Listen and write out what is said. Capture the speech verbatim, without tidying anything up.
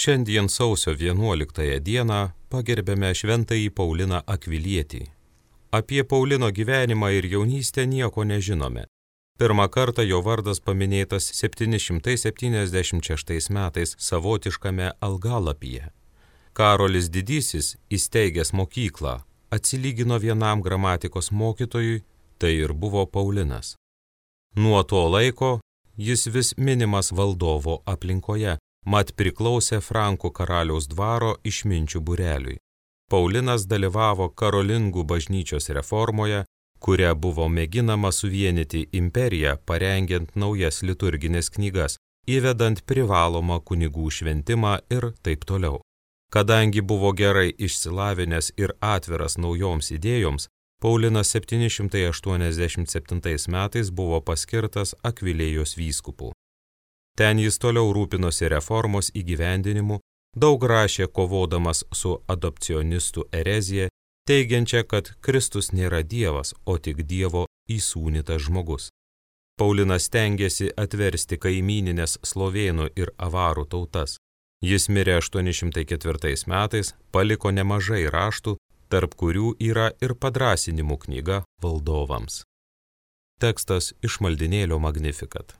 Šiandien sausio vienuoliktąją dieną pagerbėme šventąjį Pauliną Akvilietį. Apie Paulino gyvenimą ir jaunystę nieko nežinome. Pirmą kartą jo vardas paminėtas septyni šimtai septyniasdešimt šeštais metais savotiškame algalapyje. Karolis Didysis, įsteigęs mokyklą, atsilygino vienam gramatikos mokytojui, tai ir buvo Paulinas. Nuo to laiko jis vis minimas valdovo aplinkoje, mat priklausė Frankų karaliaus dvaro išminčių būreliui. Paulinas dalyvavo karolingų bažnyčios reformoje, kuria buvo mėginama suvienyti imperiją, parengiant naujas liturginės knygas, įvedant privalomą kunigų šventimą ir taip toliau. Kadangi buvo gerai išsilavinęs ir atviras naujoms idėjoms, Paulinas septyni šimtai aštuoniasdešimt septintais metais buvo paskirtas Akvilėjos vyskupu. Ten jis toliau rūpinosi reformos įgyvendinimu, daug rašė kovodamas su adopcionistų erezija, teigiančia, kad Kristus nėra Dievas, o tik Dievo įsūnytas žmogus. Paulinas stengėsi atversti kaimyninės slovėnų ir avarų tautas. Jis mirė aštuoni šimtai ketvirtais metais, paliko nemažai raštų, tarp kurių yra ir padrąsinimų knyga valdovams. Tekstas iš maldynėlio Magnificat.